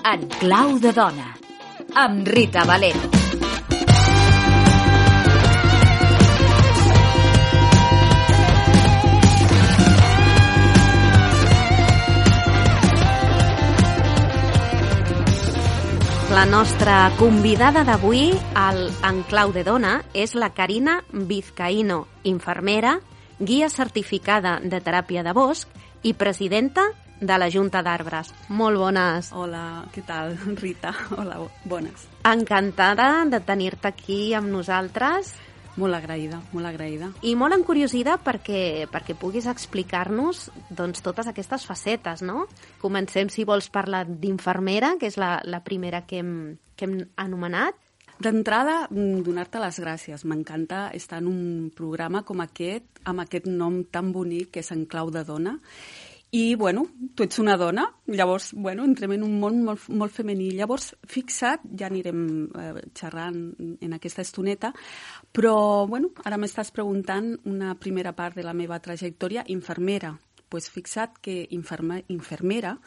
En clau de dona, amb Rita Valero. La nostra convidada d'avui al En clau de dona és la Carina Vizcaíno, infermera, guia certificada de teràpia de bosc i presidenta de la Junta d'Arbres. Molt bones. Hola, què tal, Rita? Hola, bones. Encantada de tenir-te aquí amb nosaltres. Molt agraïda, molt agraïda. I molt encuriosida perquè puguis explicar-nos doncs, totes aquestes facetes, no? Comencem, si vols, parlar d'infermera, que és la primera que hem anomenat. D'entrada, donar-te les gràcies. M'encanta estar en un programa com aquest, amb aquest nom tan bonic que és En clau de dona. I, bueno, tu ets una dona, llavors, bueno, entrem en un món molt femení. Llavors, fixa't, ja anirem xerrant en aquesta estoneta, però, bueno, ara m'estàs preguntant una primera part de la meva trajectòria, infermera. Doncs fixa't que infermera,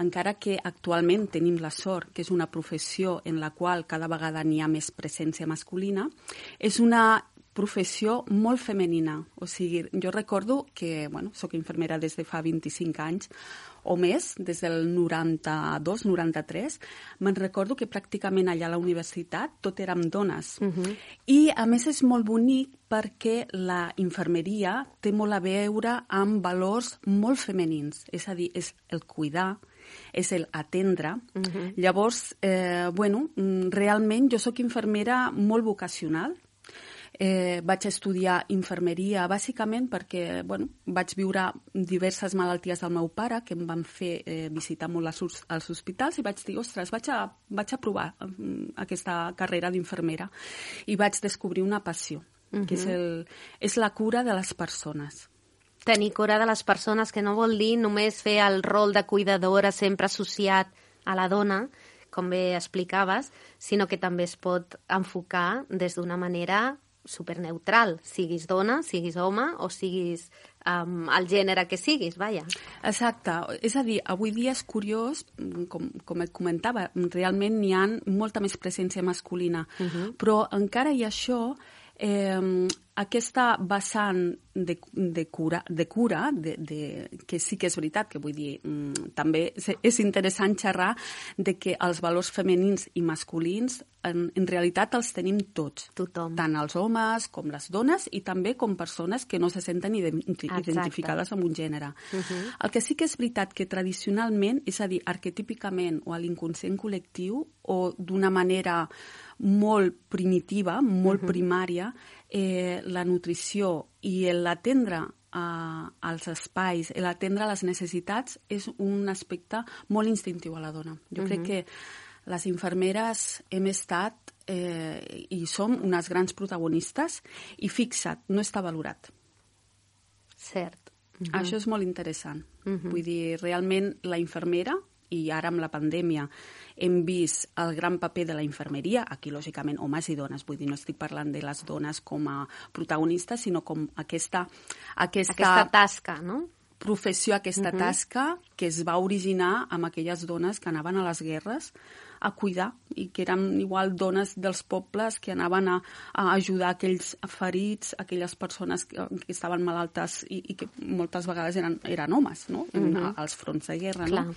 encara que actualment tenim la sort, que és una professió en la qual cada vegada n'hi ha més presència masculina, és una professió molt femenina. O sigui, jo recordo que, bueno, soc infermera des de fa 25 anys o més, des del 92, 93. Me'n recordo que pràcticament allà a la universitat tot érem dones. I, a més, és molt bonic perquè la infermeria té molt a veure amb valors molt femenins. És a dir, és el cuidar, és el atendre. Llavors, bueno, realment jo soc infermera molt vocacional. Vaig estudiar infermeria bàsicament perquè, bueno, vaig viure diverses malalties del meu pare que em van fer visitar molt als hospitals i vaig dir, ostres, vaig a provar aquesta carrera d'infermera i vaig descobrir una passió, que és la cura de les persones. Tenir cura de les persones, que no vol dir només fer el rol de cuidadora sempre associat a la dona, com bé explicaves, sinó que també es pot enfocar des d'una manera superneutral, siguis dona, siguis home o siguis el gènere que siguis, vaja. Exacte. És a dir, avui dia és curiós, com et comentava, realment n'hi ha molta més presència masculina, però encara hi ha això, aquesta vessant de cura, que sí que és veritat, que vull dir, també és interessant xerrar de que els valors femenins i masculins en realitat els tenim tots. Tothom. Tant els homes com les dones i també com persones que no se senten identificades amb un gènere. El que sí que és veritat que tradicionalment, és a dir, arquetípicament o a l'inconscient col·lectiu o d'una manera molt primitiva, molt primària, la nutrició i l'atendre als espais, l'atendre les necessitats és un aspecte molt instintiu a la dona. Jo crec que les infermeres hem estat i som unes grans protagonistes i fixa't, no està valorat. Cert. Això és molt interessant. Vull dir, realment la infermera, i ara amb la pandèmia hem vist el gran paper de la infermeria, aquí lògicament homes i dones, vull dir, no estic parlant de les dones com a protagonistes, sinó com aquesta tasca, no? Professió, aquesta tasca que es va originar amb aquelles dones que anaven a les guerres a cuidar i que eren igual dones dels pobles que anaven a ajudar aquells ferits, aquelles persones que estaven malaltes i que moltes vegades eren homes, no? Als fronts de guerra, no?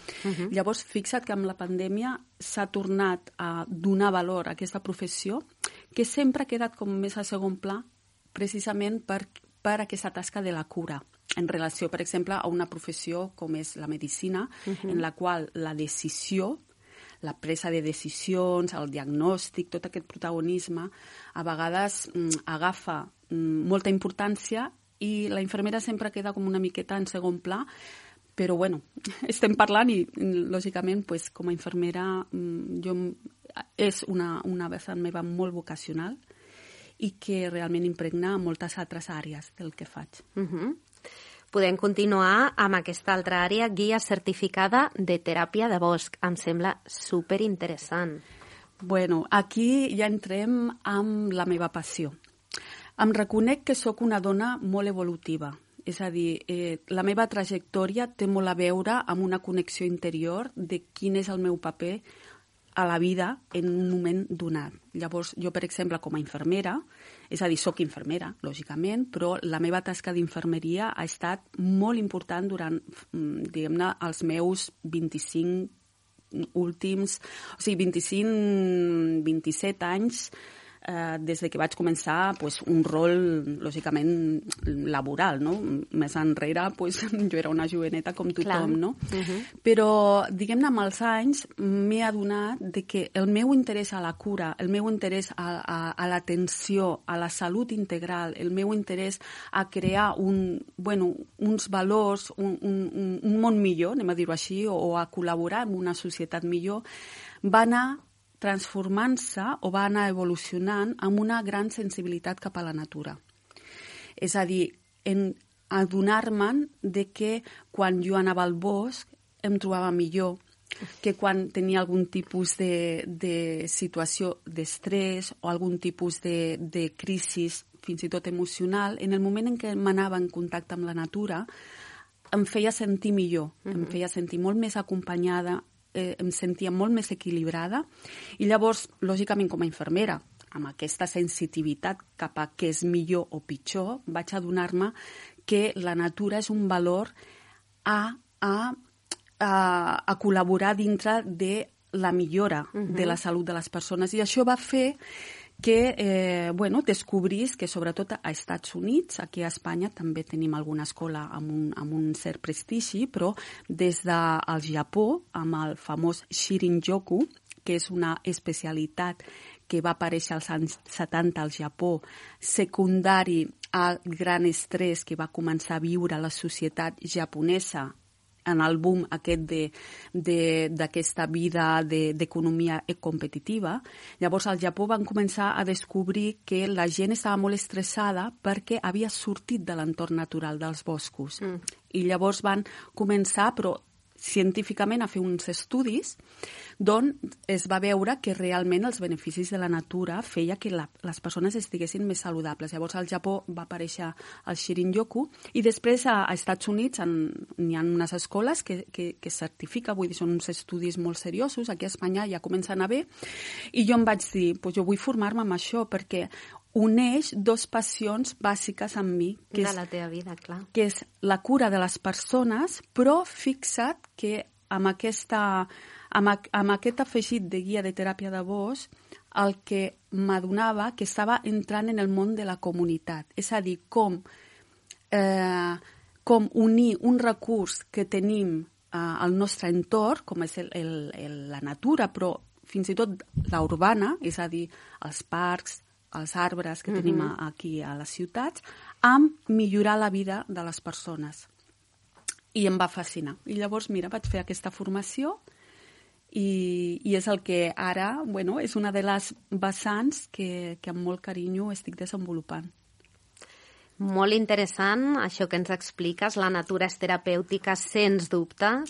Llavors, fixa't que amb la pandèmia s'ha tornat a donar valor a aquesta professió que sempre ha quedat com més a segon pla precisament per aquesta tasca de la cura en relació, per exemple, a una professió com és la medicina, en la qual la decisió, la presa de decisions, el diagnòstic, tot aquest protagonisme, a vegades agafa molta importància i la infermera sempre queda com una miqueta en segon pla, però bueno, estem parlant i lògicament com a infermera és una vessant meva molt vocacional i que realment impregna moltes altres àrees del que faig. Podem continuar amb aquesta altra àrea, guia certificada de teràpia de bosc. Em sembla superinteressant. Bueno, aquí ja entrem amb la meva passió. Em reconec que sóc una dona molt evolutiva És a dir, la meva trajectòria té molt a veure amb una connexió interior de quin és el meu paper a la vida en un moment donat. Llavors, jo, per exemple, com a infermera, és a dir, soc infermera, lògicament, però la meva tasca d'infermeria ha estat molt important durant, diguem-ne, els meus 25 últims, o sigui, 27 anys, des de que vaig començar un rol, lògicament, laboral, no? Més enrere, jo era una joveneta com tothom, no? Però, diguem-ne, amb els anys m'he adonat que el meu interès a la cura, el meu interès a l'atenció, a la salut integral, el meu interès a crear uns valors, un món millor, anem a dir-ho així, o a col·laborar en una societat millor, va anar transformant-se o va anar evolucionant amb una gran sensibilitat cap a la natura. És a dir, adonar-me'n de que quan jo anava al bosc em trobava millor, que quan tenia algun tipus de situació d'estrès o algun tipus de crisi, fins i tot emocional, en el moment en què m'anava en contacte amb la natura, em feia sentir millor, em feia sentir molt més acompanyada, em sentia molt més equilibrada i llavors, lògicament, com a infermera, amb aquesta sensitivitat cap a què és millor o pitjor, vaig adonar-me que la natura és un valor a col·laborar dintre de la millora de la salut de les persones. I això va fer que descobrís que sobretot a Estats Units, aquí a Espanya també tenim alguna escola amb un cert prestigi, però des del Japó, amb el famós Shirin-yoku, que és una especialitat que va aparèixer als anys 70 al Japó, secundari al gran estrès que va començar a viure la societat japonesa en el boom aquest d'aquesta vida d'economia competitiva. Llavors, al Japó van començar a descobrir que la gent estava molt estressada perquè havia sortit de l'entorn natural dels boscos. I llavors van començar, però científicament, a fer uns estudis d'on es va veure que realment els beneficis de la natura feia que les persones estiguessin més saludables. Llavors al Japó va aparèixer el Shirin-yoku i després a Estats Units n'hi ha unes escoles que certifica, vull dir, són uns estudis molt seriosos, aquí a Espanya ja comencen a haver, i jo em vaig dir, jo vull formar-me amb això perquè uneix dos passions bàsiques en mi, que de la teva vida, clar. Que és la cura de les persones, però fixa't que amb aquest afegit de guia de teràpia de bosc, el que m'adonava que estava entrant en el món de la comunitat. És a dir, com unir un recurs que tenim al nostre entorn, com és la natura, però fins i tot la urbana, és a dir, els parcs, els arbres que tenim aquí a les ciutats, amb millorar la vida de les persones. I em va fascinar. I llavors, mira, vaig fer aquesta formació i és el que ara, és una de les vessants que amb molt carinyo estic desenvolupant. Molt interessant, això que ens expliques. La natura és terapèutica, sens dubte.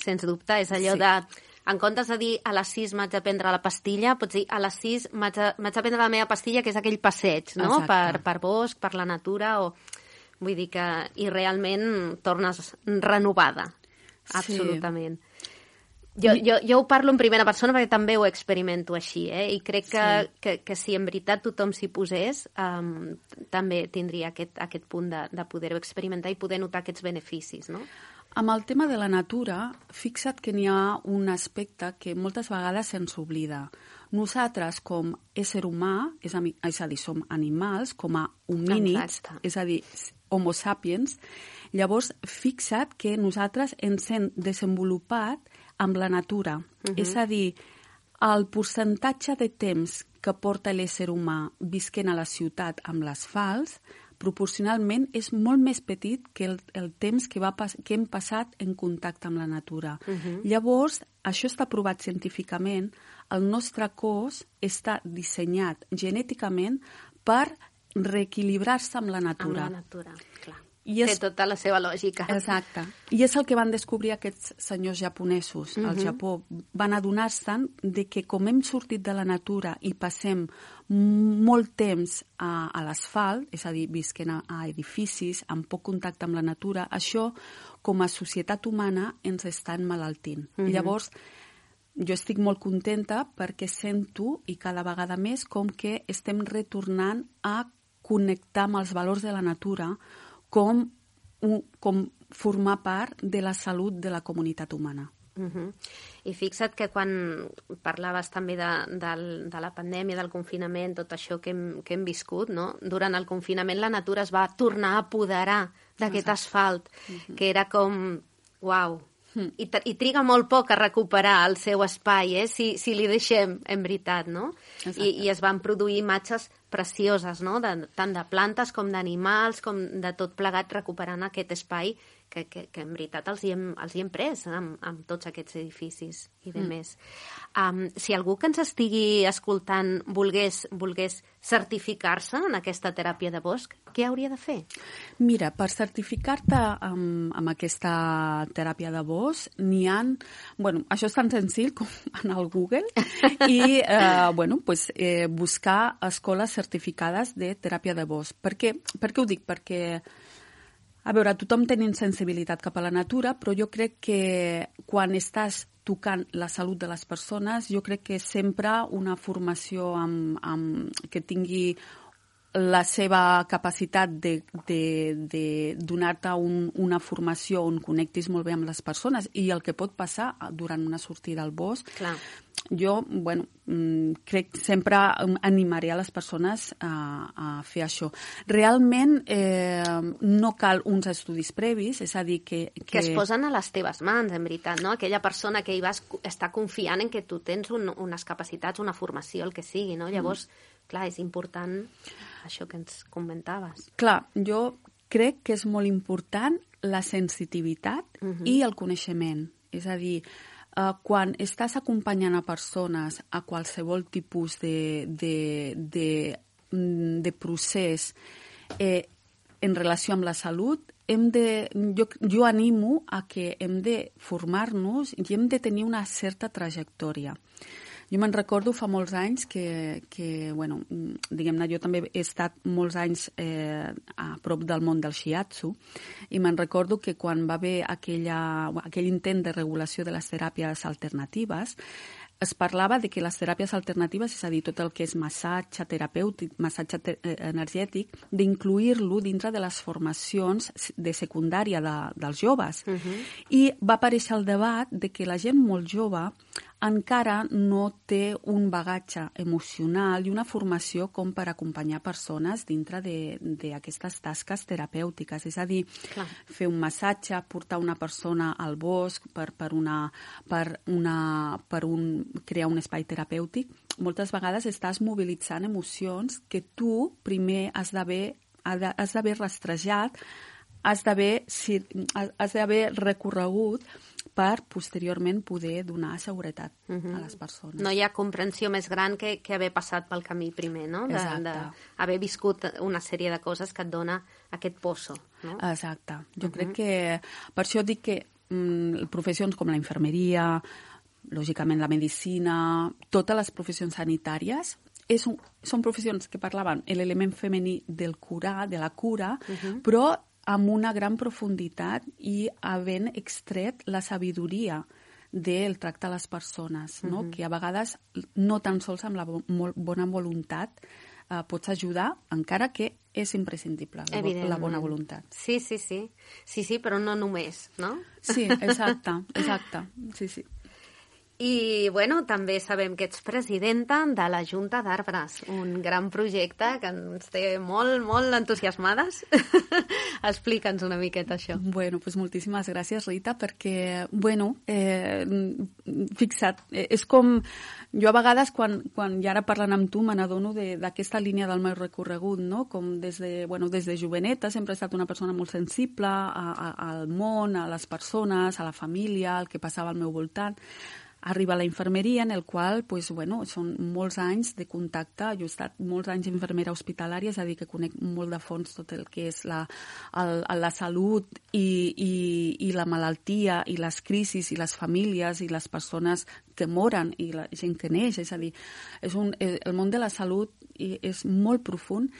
És allò de... En comptes de dir a les 6 m'haig de prendre la pastilla, pots dir a les 6 m'haig de prendre la meva pastilla, que és aquell passeig, no? Per bosc, per la natura, vull dir que... I realment tornes renovada, absolutament. Sí. Jo ho parlo en primera persona perquè també ho experimento així, i crec que si en veritat tothom s'hi posés, també tindria aquest punt de poder-ho experimentar i poder notar aquests beneficis, no? Amb el tema de la natura, fixa't que n'hi ha un aspecte que moltes vegades se'ns oblida. Nosaltres, com ésser humà, és a dir, som animals, com a homínids, és a dir, homo sapiens, llavors fixa't que nosaltres ens hem desenvolupat amb la natura. És a dir, el percentatge de temps que porta l'ésser humà visquent a la ciutat amb l'asfalt proporcionalment és molt més petit que el temps que hem passat en contacte amb la natura. Llavors, això està provat científicament, el nostre cos està dissenyat genèticament per reequilibrar-se amb la natura. Amb la natura, clar. Té tota la seva lògica. Exacte. I és el que van descobrir aquests senyors japonesos al Japó. Van adonar-se'n de que com hem sortit de la natura i passem molt temps a l'asfalt, és a dir, visquent a edificis, amb poc contacte amb la natura, això, com a societat humana, ens està emmalaltint. Llavors, jo estic molt contenta perquè sento, i cada vegada més, com que estem retornant a connectar amb els valors de la natura com formar part de la salut de la comunitat humana. I fixa't que quan parlaves també de la pandèmia, del confinament, tot això que hem viscut, no? Durant el confinament la natura es va tornar a apoderar d'aquest asfalt, que era com, uau, i triga molt poc a recuperar el seu espai, si li deixem, en veritat, no? I es van produir imatges precioses, no? Tant de plantes com d'animals, com de tot plegat, recuperant aquest espai que en veritat els hi hem pres amb tots aquests edificis i de més. Si algú que ens estigui escoltant volgués certificar-se en aquesta teràpia de bosc, què hauria de fer? Mira, per certificar-te amb aquesta teràpia de bosc, n'hi ha... Bueno, això és tan senzill com anar al Google i buscar escoles certificades de teràpia de bosc. Per què ho dic? Perquè, a veure, tothom tenim sensibilitat cap a la natura, però jo crec que quan estàs tocant la salut de les persones, jo crec que sempre una formació que tingui la seva capacitat de donar-te una formació on connectis molt bé amb les persones i el que pot passar durant una sortida al bosc. Clar. Jo, crec que sempre animaré a les persones a fer això. Realment no cal uns estudis previs, és a dir que es posen a les teves mans, en veritat, no? Aquella persona que hi vas estar confiant en que tu tens unes capacitats, una formació, el que sigui, no? Llavors, clar, és important això que ens comentaves. Clar, jo crec que és molt important la sensitivitat i el coneixement. És a dir, quan estàs acompanyant a persones a qualsevol tipus de procés en relació amb la salut, jo animo a que hem de formar-nos i hem de tenir una certa trajectòria. Jo me'n recordo fa molts anys que diguem-ne, jo també he estat molts anys a prop del món del shiatsu i me'n recordo que quan va haver aquell intent de regulació de les teràpies alternatives, es parlava de que les teràpies alternatives, és a dir, tot el que és massatge terapèutic, massatge energètic, d'incluir-lo dintre de les formacions de secundària dels joves. I va aparèixer el debat de que la gent molt jove encara no té un bagatge emocional i una formació com per acompanyar persones dintre d'aquestes tasques terapèutiques. És a dir, fer un massatge, portar una persona al bosc per crear un espai terapèutic. Moltes vegades estàs mobilitzant emocions que tu primer has d'haver rastrejat, has d'haver recorregut per posteriorment poder donar seguretat a les persones. No hi ha comprensió més gran que haver passat pel camí primer, no? D'haver viscut una sèrie de coses que et dona aquest pozo, no? Exacte. Jo crec que... Per això dic que professions com la infermeria, lògicament la medicina, totes les professions sanitàries són professions que parlaven l'element femení del curar, de la cura, però amb una gran profunditat i havent extret la sabidoria del tracte a les persones, no? Que a vegades no tan sols amb la bona voluntat pots ajudar, encara que és imprescindible la bona voluntat. Sí, però no només, no? Sí, exacte. Sí. I, també sabem que ets presidenta de la Junta d'Arbres, un gran projecte que ens té molt, molt entusiasmades. Explica'ns una miqueta això. Doncs moltíssimes gràcies, Rita, perquè, fixa't, és com... Jo a vegades, quan ja ara parlant amb tu, me n'adono d'aquesta línia del meu recorregut, no? Com des de joveneta sempre he estat una persona molt sensible al món, a les persones, a la família, al que passava al meu voltant. arriba a la infermeria, en el qual són molts anys de contacte. Jo he estat molts anys infermera hospitalària, és a dir, que conec molt de fons tot el que és la salut i la malaltia i les crisis i les famílies i les persones que moren i la gent que neix. És a dir, el món de la salut és molt profund.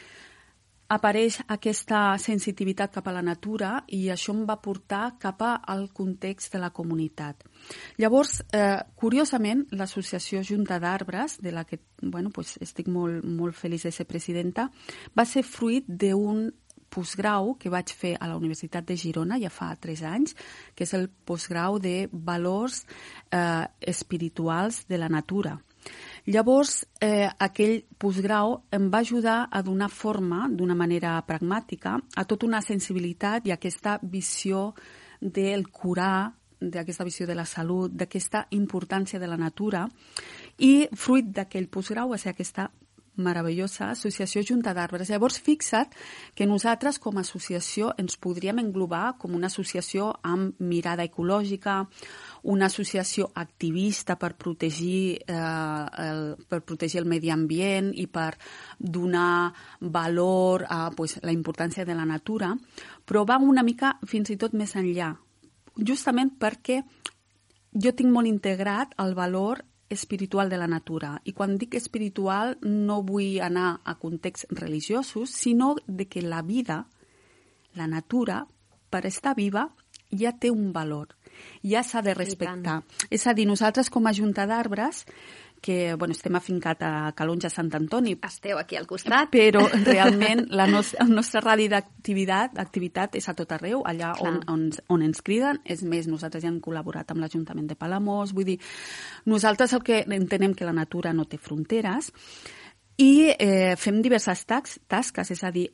Apareix aquesta sensitivitat cap a la natura i això em va portar cap al context de la comunitat. Llavors, curiosament, l'associació Junta d'Arbres, de la que estic molt feliç de ser presidenta, va ser fruit d'un postgrau que vaig fer a la Universitat de Girona ja fa 3 anys, que és el postgrau de valors espirituals de la natura. Llavors, aquell postgrau em va ajudar a donar forma, d'una manera pragmàtica, a tota una sensibilitat i aquesta visió del curar, d'aquesta visió de la salut, d'aquesta importància de la natura. I fruit d'aquell postgrau va ser aquesta meravellosa associació Junta d'Arbres. Llavors, fixa't que nosaltres com a associació ens podríem englobar com una associació amb mirada ecològica, una associació activista per protegir el medi ambient i per donar valor a la importància de la natura, però va una mica fins i tot més enllà, justament perquè jo tinc molt integrat el valor espiritual de la natura. I quan dic espiritual no vull anar a contexts religiosos, sinó de que la vida, la natura, per estar viva, ja té un valor, ja s'ha de respectar. És a dir, nosaltres com a Junta d'Arbres, que estem afincat a Calonge, Sant Antoni. Esteu aquí al costat. Però realment el nostre radi d'activitat és a tot arreu, allà on ens criden. És més, nosaltres ja hem col·laborat amb l'Ajuntament de Palamós. Vull dir, nosaltres el que entenem que la natura no té fronteres i fem diverses tasques, és a dir,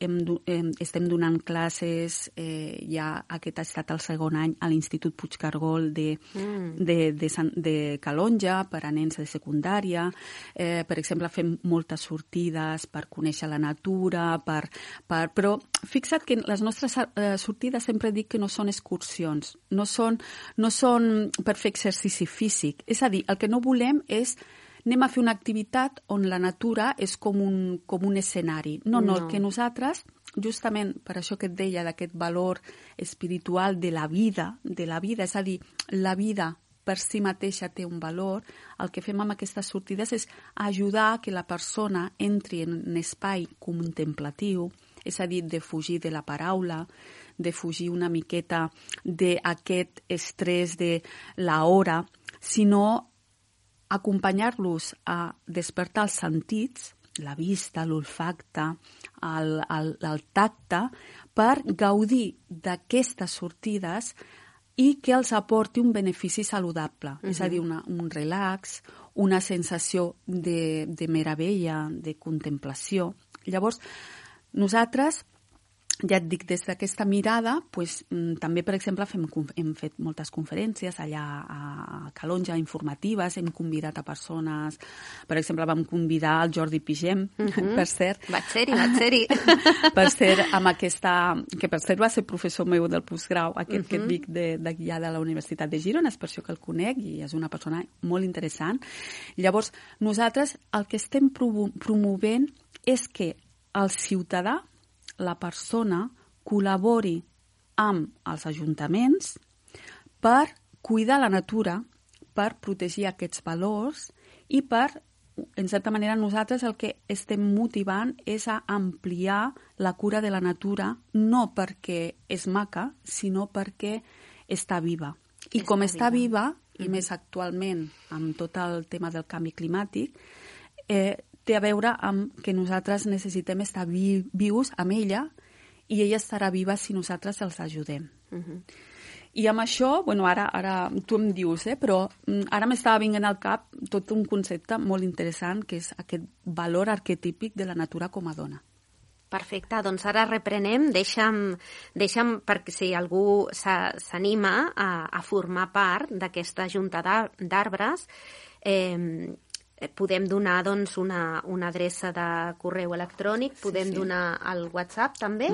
estem donant classes, ja aquest ha estat el 2è any a l'Institut Puigcargol de Calonge per a nens de secundària. Per exemple, fem moltes sortides per conèixer la natura, però fixa't que les nostres sortides sempre dic que no són excursions, no són per fer exercici físic. És a dir, el que no volem és anem a fer una activitat on la natura és com un escenari. No, el que nosaltres, justament per això que et deia d'aquest valor espiritual de la vida, és a dir, la vida per si mateixa té un valor, el que fem amb aquestes sortides és ajudar que la persona entri en un espai contemplatiu, és a dir, de fugir de la paraula, de fugir una miqueta d'aquest estrès de l'hora, sinó acompanyar-los a despertar els sentits, la vista, l'olfacte, el tacte, per gaudir d'aquestes sortides i que els aporti un benefici saludable. És a dir, un relax, una sensació de meravella, de contemplació. Llavors, nosaltres, ja et dic, des d'aquesta mirada, també, per exemple, hem fet moltes conferències allà a Calonge, informatives, hem convidat a persones, per exemple, vam convidar el Jordi Pigem, per cert. Vaig ser-hi. Per cert, amb aquesta, que per cert va ser professor meu del postgrau, aquest que et dic d'allà de la Universitat de Girona, és per això que el conec i és una persona molt interessant. Llavors, nosaltres el que estem promovent és que el ciutadà, la persona, col·labori amb els ajuntaments per cuidar la natura, per protegir aquests valors i per, en certa manera, nosaltres el que estem motivant és a ampliar la cura de la natura, no perquè és maca, sinó perquè està viva. I com està viva, i més actualment amb tot el tema del canvi climàtic, té a veure amb que nosaltres necessitem estar vius amb ella i ella estarà viva si nosaltres els ajudem. I amb això, ara tu em dius, però ara m'estava venint al cap tot un concepte molt interessant que és aquest valor arquetípic de la natura com a dona. Perfecte, doncs ara reprenem, deixa'm perquè si algú s'anima a formar part d'aquesta Junta d'Arbres, podem donar doncs, una adreça de correu electrònic, podem donar el WhatsApp també,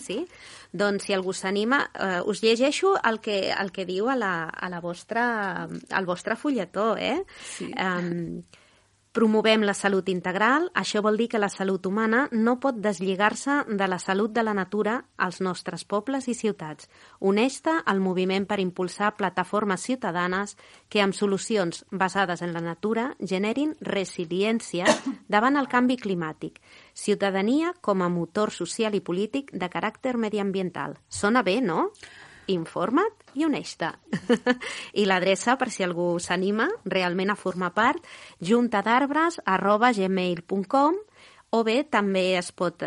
sí? Doncs si algú s'anima, us llegeixo el que diu al vostre fulletó, Sí. Promovem la salut integral, això vol dir que la salut humana no pot deslligar-se de la salut de la natura als nostres pobles i ciutats. Uneix-te al moviment per impulsar plataformes ciutadanes que amb solucions basades en la natura generin resiliència davant el canvi climàtic. Ciutadania com a motor social i polític de caràcter mediambiental. Sona bé, no? Informa't i uneix-te. I l'adreça, per si algú s'anima realment a formar part, juntadarbres@gmail.com, o bé també es pot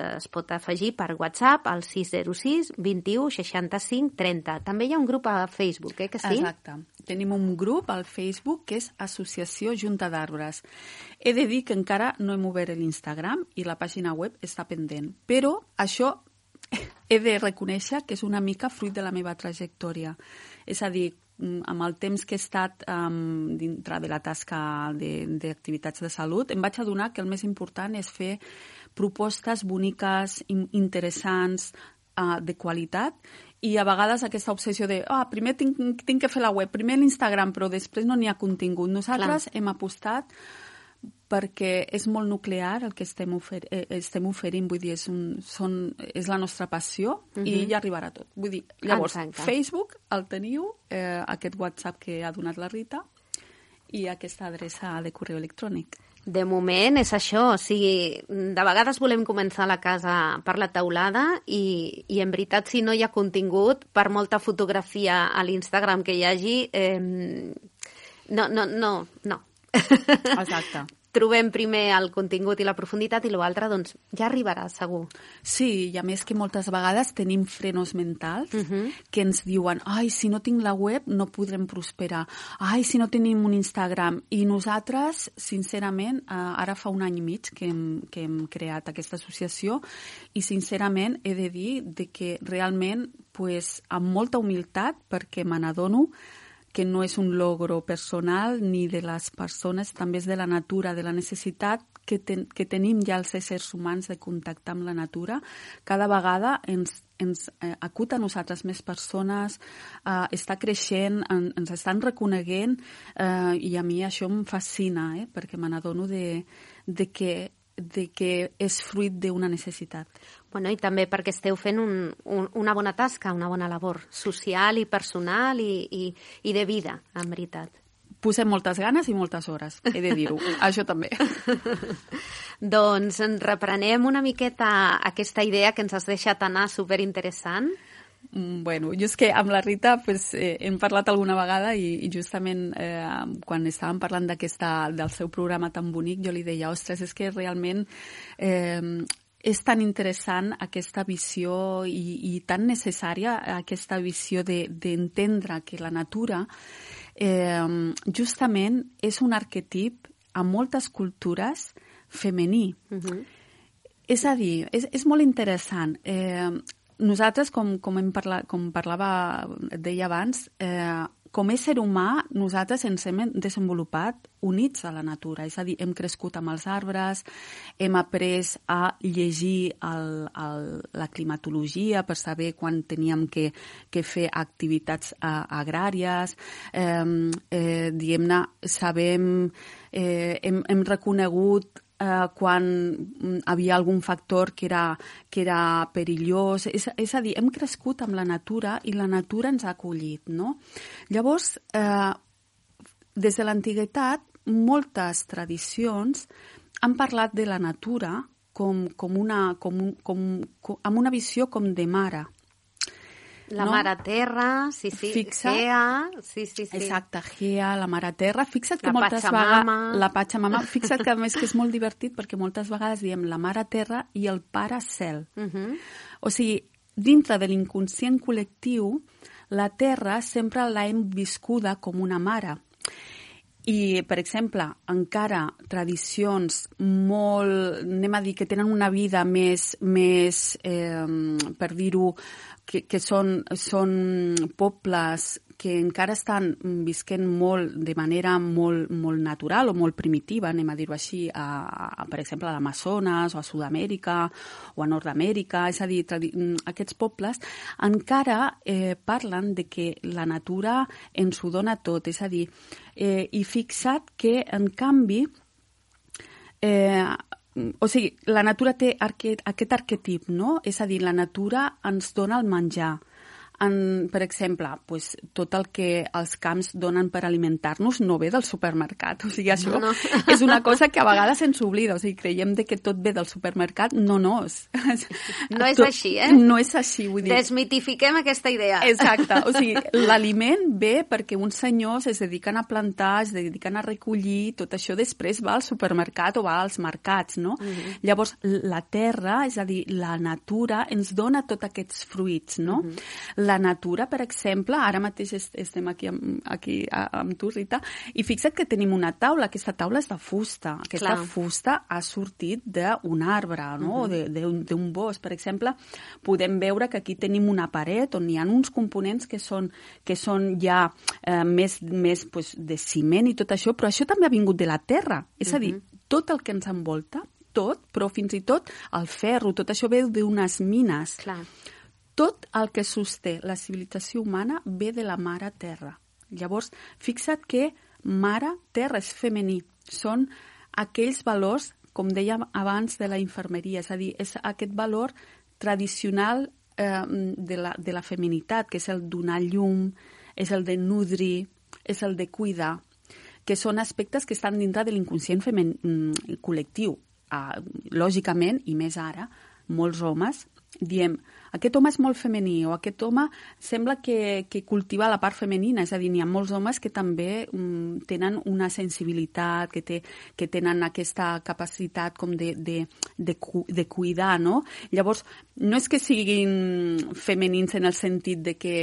afegir per WhatsApp al 606 21 65 30. També hi ha un grup a Facebook, que sí? Exacte. Tenim un grup al Facebook que és Associació Junta d'Arbres. He de dir que encara no hem obert l'Instagram i la pàgina web està pendent, però això he de reconèixer que és una mica fruit de la meva trajectòria. És a dir, amb el temps que he estat dintre de la tasca d'activitats de salut, em vaig adonar que el més important és fer propostes boniques, interessants, de qualitat, i a vegades aquesta obsessió de primer tinc que fer la web, primer l'Instagram, però després no n'hi ha contingut. Nosaltres hem apostat perquè és molt nuclear el que estem oferint, vull dir, és la nostra passió i ja arribarà tot. Vull dir, llavors, Facebook el teniu, aquest WhatsApp que ha donat la Rita i aquesta adreça de correu electrònic. De moment és això, o sigui, de vegades volem començar la casa per la teulada i en veritat, si no hi ha contingut, per molta fotografia a l'Instagram que hi hagi, no. Exacte. Trobem primer el contingut i la profunditat i l'altre, doncs, ja arribarà, segur. Sí, i a més que moltes vegades tenim frenos mentals que ens diuen si no tinc la web no podrem prosperar, si no tenim un Instagram. I nosaltres, sincerament, ara fa 1 any i mig que hem creat aquesta associació i, sincerament, he de dir que realment, amb molta humilitat, perquè me n'adono que no és un logro personal ni de les persones, també és de la natura, de la necessitat que tenim ja els éssers humans de contactar amb la natura. Cada vegada ens acut a nosaltres més persones, està creixent, ens estan reconeguent i a mi això em fascina, perquè me n'adono de que és fruit d'una necessitat. Bueno, i també perquè esteu fent una bona tasca, una bona labor social i personal i de vida, en veritat. Posem moltes ganes i moltes hores, he de dir-ho, això també. Doncs reprenem una miqueta aquesta idea que ens has deixat anar superinteressant. Bueno, jo és que amb la Rita hem parlat alguna vegada i justament quan estàvem parlant del seu programa tan bonic, jo li deia, ostres, és que realment és tan interessant aquesta visió i tan necessària aquesta visió d'entendre que la natura justament és un arquetip a moltes cultures femení. És a dir, és molt interessant. Nosaltres, com parlava, deia abans, com a ésser humà, nosaltres ens hem desenvolupat units a la natura. És a dir, hem crescut amb els arbres, hem après a llegir la climatologia per saber quan teníem que fer activitats agràries. Diguem-ne, hem reconegut quan havia algun factor que era perillós. És a dir, hem crescut amb la natura i la natura ens ha acollit, no? Llavors, des de l'antiguitat, moltes tradicions han parlat de la natura amb una visió com de mare. La mare terra, sí, Gea, sí. Exacte, Gea, la mare terra. Fixa't que moltes vegades... La Pachamama. Fixa't que a més que és molt divertit perquè moltes vegades diem la mare terra i el pare cel. O sigui, dintre de l'inconscient col·lectiu, la terra sempre l'hem viscuda com una mare. I, per exemple, encara tradicions molt, anem a dir, que tenen una vida més per dir-ho, que són pobles que encara estan visquent molt de manera molt natural o molt primitiva, anem a dir-ho així, per exemple, a l'Amazones o a Sud-amèrica o a Nord-amèrica, és a dir, aquests pobles encara parlen de que la natura ens ho dona tot, és a dir, i fixa't que, en canvi, o sigui, la natura té aquest arquetip, no? És a dir, la natura ens dona el menjar. Per exemple, pues, tot el que els camps donen per alimentar-nos no ve del supermercat. O sigui, això és una cosa que a vegades ens oblida. O sigui, creiem que tot ve del supermercat. No. No és així, eh? No és així, vull dir. Desmitifiquem aquesta idea. Exacte. O sigui, l'aliment ve perquè uns senyors es dediquen a plantar, es dediquen a recollir, tot això després va al supermercat o va als mercats, no? Llavors, la terra, és a dir, la natura, ens dona tots aquests fruits, no? La natura, per exemple, ara mateix estem aquí amb tu, Rita, i fixa't que tenim una taula. Aquesta taula és de fusta. Aquesta fusta ha sortit d'un arbre, no? O d'un bosc. Per exemple, podem veure que aquí tenim una paret on hi ha uns components que són ja més pues, de ciment i tot això, però això també ha vingut de la terra. És a dir, tot el que ens envolta, tot, però fins i tot el ferro, tot això ve d'unes mines. Clar. Tot el que sosté la civilització humana ve de la mare terra. Llavors, fixa't que mare terra és femení. Són aquells valors, com dèiem abans, de la infermeria. És a dir, és aquest valor tradicional de la feminitat, que és el donar llum, és el de nodrir, és el de cuidar, que són aspectes que estan dintre de l'inconscient col·lectiu. Lògicament, i més ara, molts homes diem, aquest home és molt femení o aquest home sembla que cultiva la part femenina, és a dir, n'hi ha molts homes que també tenen una sensibilitat, que tenen aquesta capacitat com de cuidar, no? Llavors, no és que siguin femenins en el sentit de que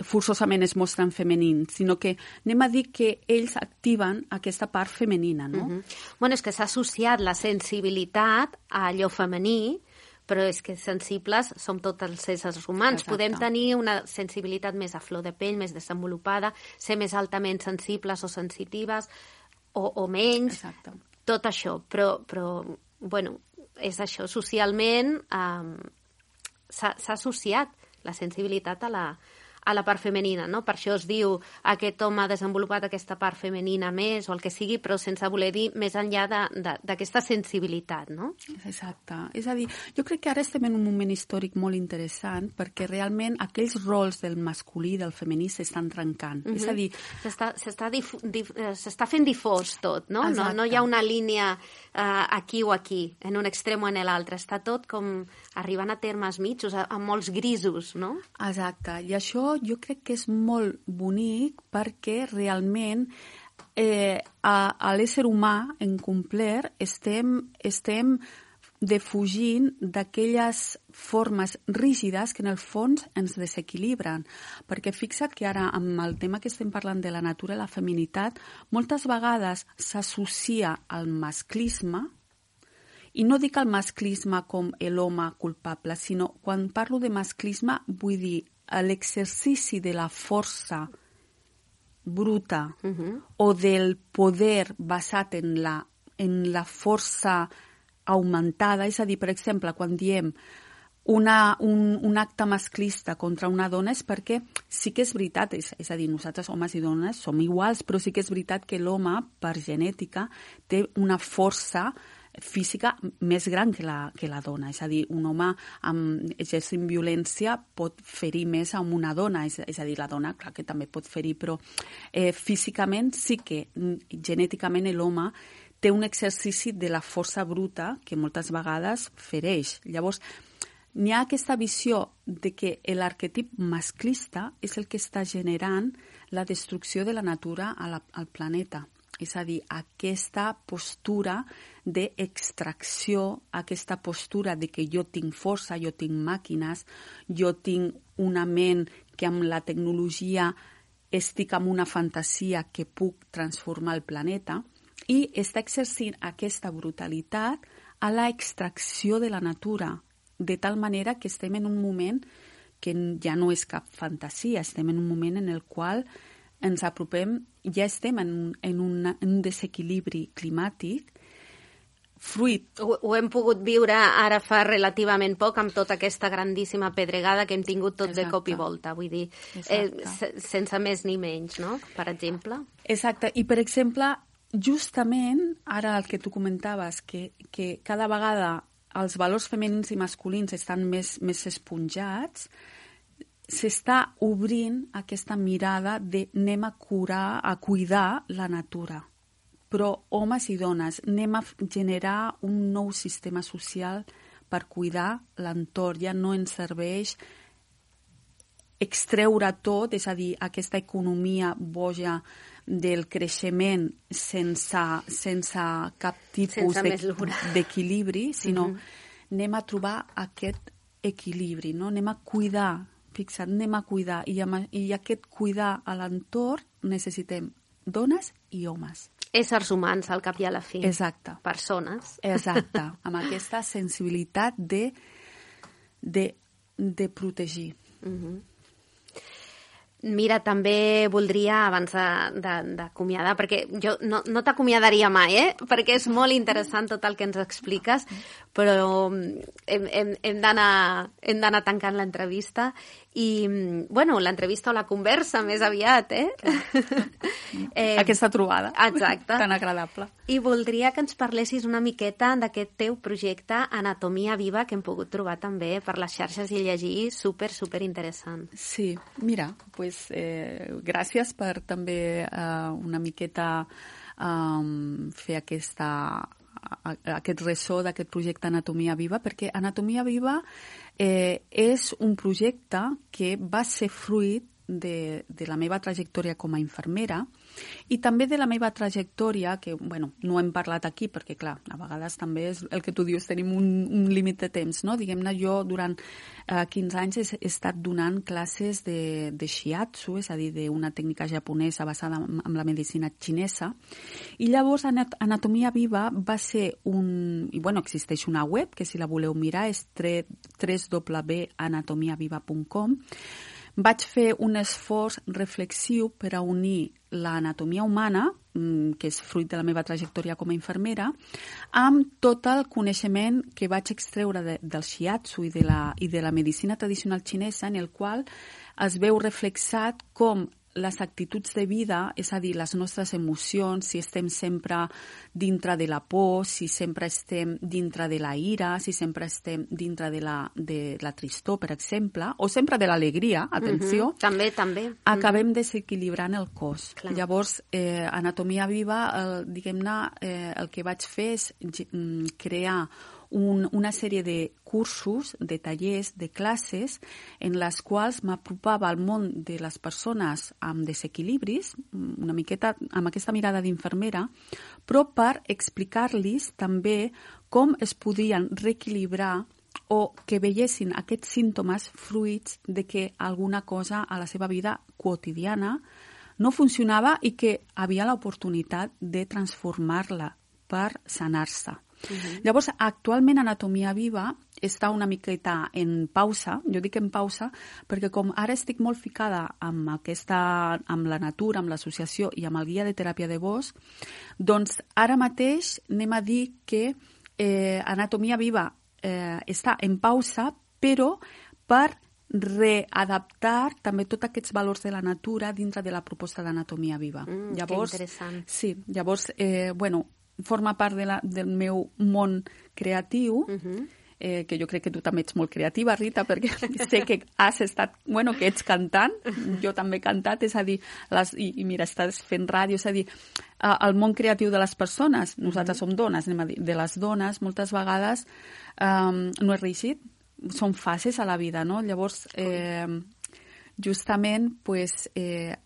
forçosament es mostren femenins, sinó que anem a dir que ells activen aquesta part femenina, no? Bueno, és que s'ha associat la sensibilitat a allò femení, però és que sensibles som tots els éssers humans. Exacte. Podem tenir una sensibilitat més a flor de pell, més desenvolupada, ser més altament sensibles o sensitives, o menys. Exacte. Tot això. Però bueno, és això. Socialment s'ha associat la sensibilitat a la part femenina, no? Per això es diu aquest home ha desenvolupat aquesta part femenina més o el que sigui, però sense voler dir més enllà d'aquesta sensibilitat, no? Exacte. És a dir, jo crec que ara estem en un moment històric molt interessant perquè realment aquells rols del masculí i del femení s'estan trencant. És a dir, s'està fent difós tot, no? No hi ha una línia aquí o aquí, en un extrem o en l'altre. Està tot com arribant a termes mitjos, a molts grisos, no? Exacte. I això jo crec que és molt bonic perquè realment a l'ésser humà en complet estem defugint d'aquelles formes rígides que en el fons ens desequilibren. Perquè fixa't que ara amb el tema que estem parlant de la natura i la feminitat, moltes vegades s'associa al masclisme. I no dic el masclisme com l'home culpable, sinó quan parlo de masclisme vull dir l'exercici de la força bruta o del poder basat en la força augmentada. És a dir, per exemple, quan diem un acte masclista contra una dona és perquè sí que és veritat, és a dir, nosaltres homes i dones som iguals, però sí que és veritat que l'home, per genètica, té una força física més gran que la dona. És a dir, un home exercint violència pot ferir més a una dona. És a dir, la dona, clar que també pot ferir, però físicament sí que genèticament l'home té un exercici de la força bruta que moltes vegades fereix. Llavors, n'hi ha aquesta visió de que l'arquetip masclista és el que està generant la destrucció de la natura al planeta. És a dir, aquesta postura d'extracció, aquesta postura de que jo tinc força, jo tinc màquines, jo tinc una ment que amb la tecnologia estic en una fantasia que puc transformar el planeta, i està exercint aquesta brutalitat a l'extracció de la natura, de tal manera que estem en un moment que ja no és cap fantasia, estem en un moment en el qual ens apropem, ja estem en un desequilibri climàtic fruit. Ho hem pogut viure ara fa relativament poc amb tota aquesta grandíssima pedregada que hem tingut tot de cop i volta, vull dir, sense més ni menys, no?, per exemple. Exacte, i per exemple, justament, ara el que tu comentaves, que cada vegada els valors femenins i masculins estan més esponjats, s'està obrint aquesta mirada de anem a cuidar la natura. Però homes i dones, anem a generar un nou sistema social per cuidar l'entorn. Ja no ens serveix extreure tot, és a dir, aquesta economia boja del creixement sense cap tipus d'equilibri, sinó anem a trobar aquest equilibri, no? Anem a cuidar, fixa't, anem a cuidar, i aquest cuidar a l'entorn necessitem dones i homes. Éssers humans, al cap i a la fi. Exacte. Persones. Exacte, amb aquesta sensibilitat de protegir. Mira, també voldria, abans d'acomiadar, perquè jo no t'acomiadaria mai, perquè és molt interessant tot el que ens expliques, però hem d'anar tancant l'entrevista i, bueno, l'entrevista o la conversa més aviat, Aquesta trobada. Exacte. Tan agradable. I voldria que ens parlessis una miqueta d'aquest teu projecte Anatomia Viva, que hem pogut trobar també per les xarxes i llegir, super interessant. Sí, mira, pues, gràcies per també una miqueta fer aquest ressò d'aquest projecte Anatomia Viva, perquè Anatomia Viva és un projecte que va ser fruit de la meva trajectòria com a infermera i també de la meva trajectòria, que bueno, no hem parlat aquí perquè, clar, a vegades també és el que tu dius, tenim un límit de temps, no? Diguem-ne, jo durant 15 anys he estat donant classes de shiatsu, és a dir, d'una tècnica japonesa basada en la medicina xinesa, i llavors Anatomia Viva va ser i bueno, existeix una web, que si la voleu mirar és www.anatomiaviva.com. Vaig fer un esforç reflexiu per a unir l'anatomia humana, que és fruit de la meva trajectòria com a infermera, amb tot el coneixement que vaig extreure del shiatsu i de la medicina tradicional xinesa, en el qual es veu reflexat com les actituds de vida, és a dir, les nostres emocions, si estem sempre dintre de la por, si sempre estem dintre de la ira, si sempre estem dintre de la tristor, per exemple, o sempre de l'alegria, atenció. També. Acabem desequilibrant el cos. Clar. Llavors, Anatomia Viva, diguem-ne, el que vaig fer és crear una sèrie de cursos, de tallers, de classes, en les quals m'apropava al món de les persones amb desequilibris, una miqueta amb aquesta mirada d'infermera, però per explicar-los també com es podien reequilibrar o que veiessin aquests símptomes fruits de que alguna cosa a la seva vida quotidiana no funcionava i que havia l'oportunitat de transformar-la per sanar-se. Llavors, actualment Anatomia Viva està una miqueta en pausa, jo dic en pausa, perquè com ara estic molt ficada amb la natura, amb l'associació i amb el guia de teràpia de bosc, doncs ara mateix anem a dir que Anatomia Viva està en pausa, però per readaptar també tots aquests valors de la natura dintre de la proposta d'Anatomia Viva. Llavors, que interessant. Sí, llavors, forma part del meu món creatiu, que jo crec que tu també ets molt creativa, Rita, perquè sé que que ets cantant, jo també he cantat, és a dir, i mira, estàs fent ràdio, és a dir, el món creatiu de les persones, nosaltres som dones, anem a dir, de les dones, moltes vegades no és reeixit, són fases a la vida, no? Llavors, justament,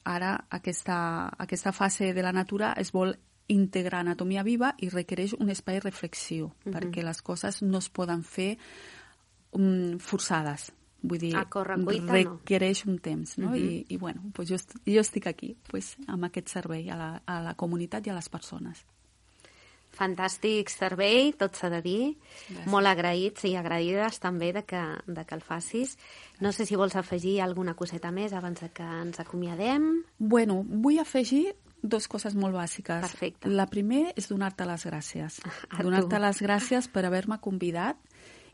ara aquesta fase de la natura es vol integrar Anatomia Viva i requereix un espai reflexiu, perquè les coses no es poden fer forçades. Vull dir, requereix un temps, no? I bueno, jo estic aquí amb aquest servei a la comunitat i a les persones. Fantàstic servei, tot s'ha de dir. Gràcies. Molt agraïts i agraïdes també de que el facis. No sé si vols afegir alguna coseta més abans de que ens acomiadem. Bueno, vull afegir 2 coses molt bàsiques. Perfecte. La primera és donar-te les gràcies. A Donar-te tu. les gràcies per haver-me convidat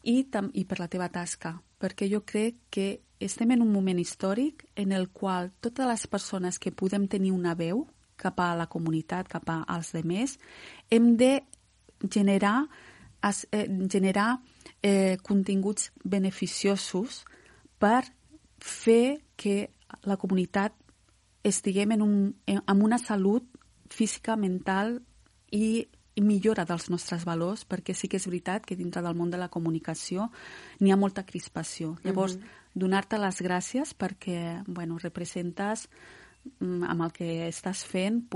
i per la teva tasca, perquè jo crec que estem en un moment històric en el qual totes les persones que podem tenir una veu cap a la comunitat, cap als demés, hem de generar continguts beneficiosos per fer que la comunitat estiguem amb una salut física, mental i millora dels nostres valors, perquè sí que és veritat que dintre del món de la comunicació n'hi ha molta crispació. Llavors, donar-te les gràcies perquè representes amb el que estàs fent,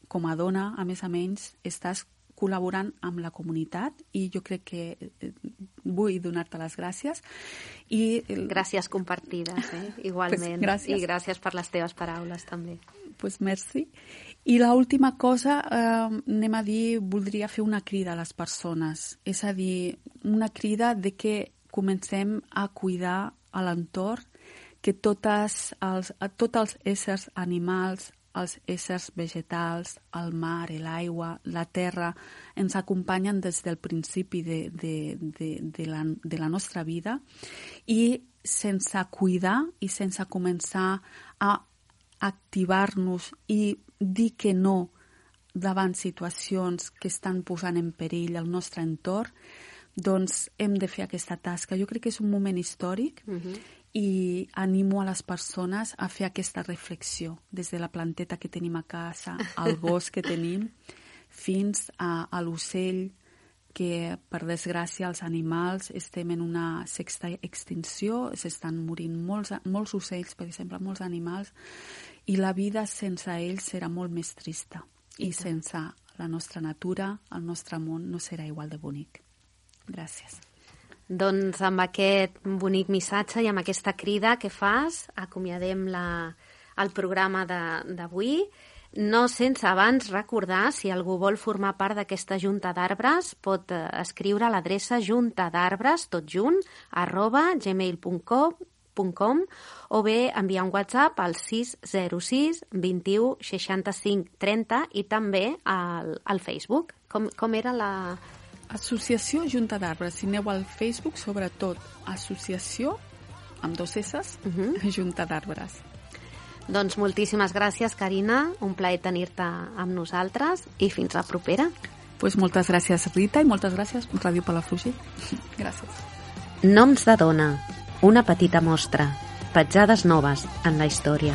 com a dona, a més, estàs col·laborant amb la comunitat i jo crec que vull donar-te les gràcies. Gràcies compartides, igualment. Gràcies. I gràcies per les teves paraules, també. Merci. I l'última cosa, voldria fer una crida a les persones. És a dir, una crida de que comencem a cuidar a l'entorn, que tots els éssers animals, els éssers vegetals, el mar, l'aigua, la terra, ens acompanyen des del principi de la nostra vida i sense cuidar i sense començar a activar-nos i dir que no davant situacions que estan posant en perill el nostre entorn, doncs hem de fer aquesta tasca. Jo crec que és un moment històric i animo a les persones a fer aquesta reflexió des de la planteta que tenim a casa, al bosc que tenim, fins a l'ocell, que per desgràcia els animals estem en una sexta extinció, s'estan morint molts ocells, per exemple, molts animals, i la vida sense ells serà molt més trista. I sense la nostra natura, el nostre món no serà igual de bonic. Gràcies. Doncs amb aquest bonic missatge i amb aquesta crida que fas, acomiadem el programa d'avui. No sense abans recordar, si algú vol formar part d'aquesta junta d'arbres, pot escriure a l'adreça juntadarbres, tot junt, @gmail.com o bé enviar un WhatsApp al 606 21 65 30 i també al Facebook. Com era la... Associació Junta d'Arbres. Si aneu al Facebook, sobretot, associació, amb 2 S's, Junta d'Arbres. Doncs moltíssimes gràcies, Carina. Un plaer tenir-te amb nosaltres i fins la propera. Moltes gràcies, Rita, i moltes gràcies, Ràdio Palafrugell. Gràcies. Noms de dona. Una petita mostra. Petjades noves en la història.